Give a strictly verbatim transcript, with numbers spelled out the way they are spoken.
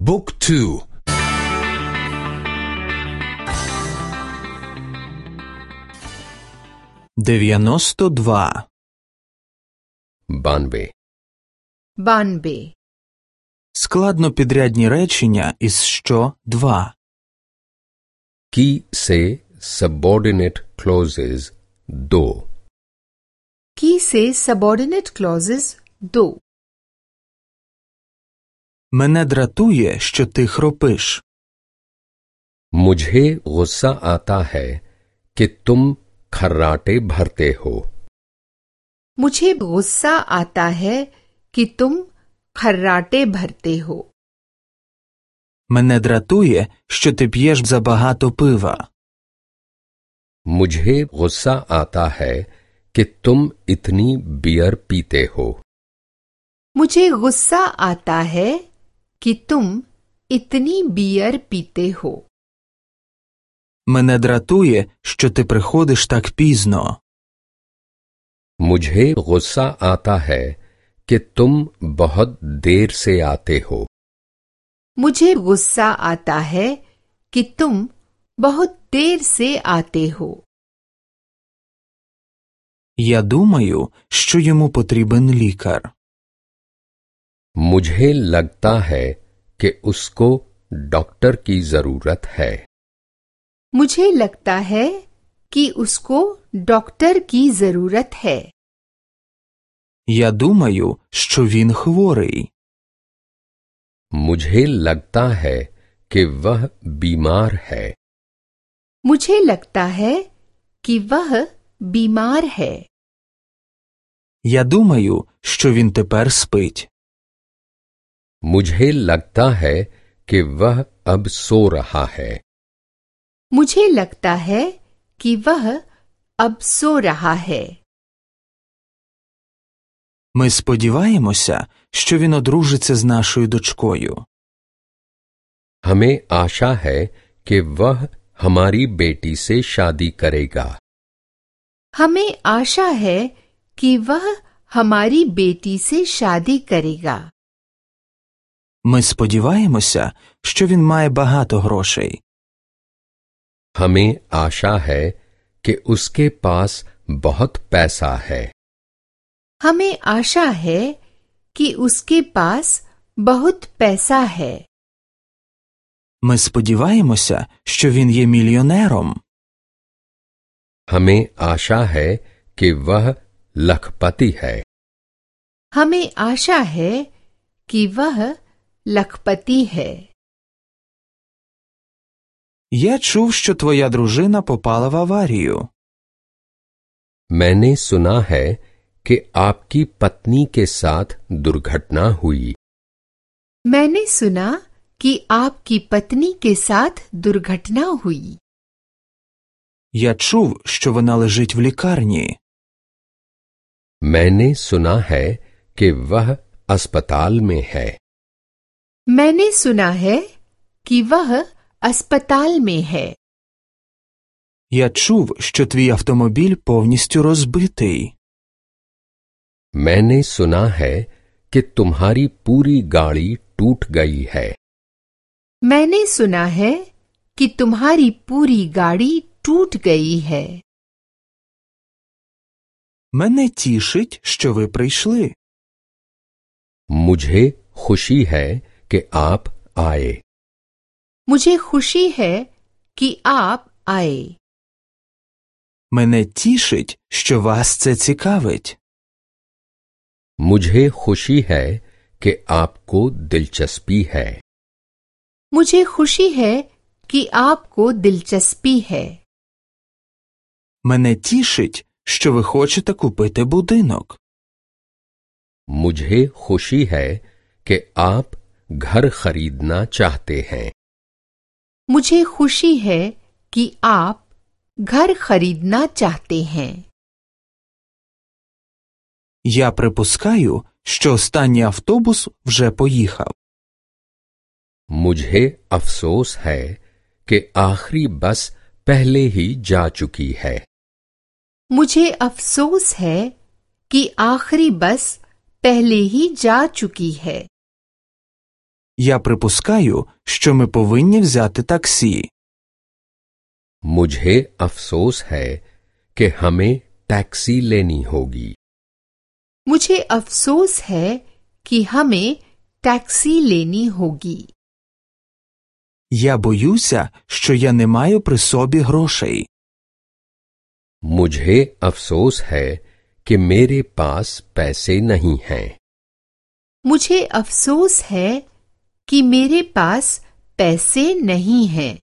บุ๊กทูдев'яносто два बानवे बानवे складнопідрядні речення із що два. की से सबऑर्डिनेट क्लॉजेज दो की से सबऑर्डिनेट क्लॉजेज दो. Мене дратує, що ти хропиш. मुझे गुस्सा आता है कि तुम खर्राटे भरते हो. मुझे गुस्सा आता है कि तुम खर्राटे भरते हो. Мене дратує, що ти п'єш забагато пива. मुझे गुस्सा आता है कि तुम इतनी बियर पीते हो. मुझे गुस्सा आता है कि तुम इतनी बियर पीते हो. Мене дратує, що ти приходиш так пізно. मुझे गुस्सा आता है कि तुम बहुत देर से आते हो. मुझे गुस्सा आता है कि तुम बहुत देर से आते हो. Я думаю, що йому потрібен лікар. मुझे लगता है कि उसको डॉक्टर की जरूरत है. मुझे लगता है कि उसको डॉक्टर की जरूरत है. Я думаю, що він хворий. मुझे लगता है कि वह बीमार है. मुझे लगता है कि वह बीमार है. Я думаю, що він тепер спить. मुझे लगता है कि वह अब सो रहा है. मुझे लगता है कि वह अब सो रहा है. Ми сподіваємося, що він одружиться з нашою дочкою. हमें आशा है कि वह हमारी बेटी से शादी करेगा. हमें आशा है कि वह हमारी बेटी से शादी करेगा. Ми сподіваємося, що він має багато грошей. हमें आशा है कि उसके पास बहुत पैसा है. हमें आशा है कि उसके पास बहुत पैसा है. Ми сподіваємося, що він є мільйонером. हमें आशा है कि वह लखपति है. हमें आशा है कि वह लखपति है. Я чув, що твоя дружина попала в аварію. मैंने सुना है कि आपकी पत्नी के साथ दुर्घटना हुई. मैंने सुना कि आपकी पत्नी के साथ दुर्घटना हुई. Я чув, що вона лежить в лікарні. मैंने सुना है कि वह अस्पताल में है. मैंने सुना है कि वह अस्पताल में है. Я чув, що твій автомобіль повністю розбитий. मैंने सुना है कि तुम्हारी पूरी गाड़ी टूट गई है. मैंने सुना है कि तुम्हारी पूरी गाड़ी टूट गई है. Мене тішить, що ви прийшли. मुझे खुशी है कि आप आए. मुझे खुशी है कि आप आए. Мене тішить, що вас це цікавить. मुझे खुशी है कि आपको दिलचस्पी है. मुझे खुशी है कि आपको दिलचस्पी है. Мене тішить, що ви хочете купити будинок. मुझे खुशी है कि आप घर खरीदना चाहते हैं. मुझे खुशी है कि आप घर खरीदना चाहते हैं. Я припускаю, що останній автобус вже поїхав. मुझे अफसोस है कि आखिरी बस पहले ही जा चुकी है. मुझे अफसोस है कि आखिरी बस पहले ही जा चुकी है. Я припускаю, що ми повинні взяти таксі. मुझे अफसोस है कि हमें टैक्सी लेनी होगी। मुझे अफसोस है कि हमें टैक्सी लेनी होगी। Я боюся, що я не маю при собі грошей. मुझे अफसोस है कि मेरे पास पैसे नहीं हैं। मुझे अफसोस है कि मेरे पास पैसे नहीं हैं।